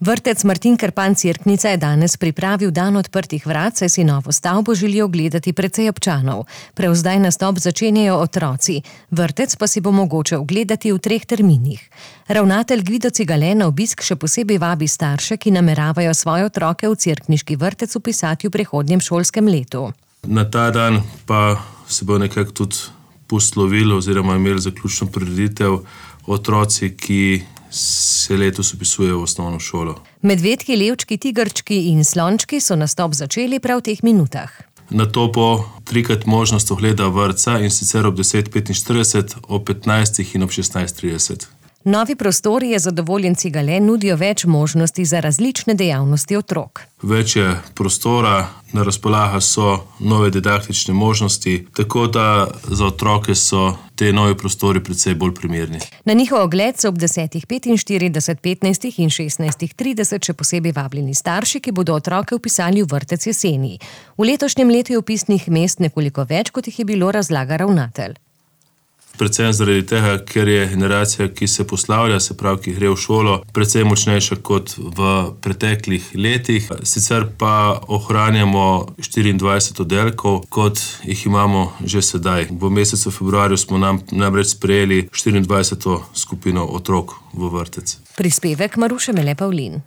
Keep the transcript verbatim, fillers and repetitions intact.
Vrtec Martin Krpan Cerknica je danes pripravil dan odprtih vrat, saj si novo stavbo želijo ogledati precej občanov. Prav zdaj nastop začenjajo otroci. Vrtec pa si bo mogoče ogledati v treh terminih. Ravnatelj Gvido Cigale na obisk še posebej vabi starše, ki nameravajo svoje otroke v cerkniški vrtec vpisati v prihodnjem šolskem letu. Na ta dan pa se bo nekako tudi poslovilo oziroma imeli zaključno prireditev otroci, ki se letos vpisujejo v osnovno šolo. Medvedki, levčki, tigrčki in slončki so nastop začeli prav v teh minutah. Nato bo trikrat možnost ogleda vrtca, in sicer ob deset petinštirideset, ob petnajstih in ob šestnajst trideset. Novi prostori, je zadovoljen Cigale, nudijo več možnosti za različne dejavnosti otrok. Več je prostora, na razpolago so nove didaktične možnosti, tako da za otroke so te novi prostori precej bolj primerni. Na njihov ogled so ob desetih petinštirideset, petnajstih in šestnajstih trideset še posebej vabljeni starši, ki bodo otroke vpisali v vrtec jeseni. V letošnjem letu je vpisnih mest nekoliko več, kot jih je bilo, razlaga ravnatelj. Predvsem zaradi tega, ker je generacija, ki se poslavlja, se pravi, ki gre v šolo, precej močnejša kot v preteklih letih. Sicer pa ohranjamo štiriindvajset oddelkov, kot jih imamo že sedaj. V mesecu februarju smo nam namreč sprejeli štiriindvajseto skupino otrok v vrtec. Prispevek Maruše Mele Pavlin.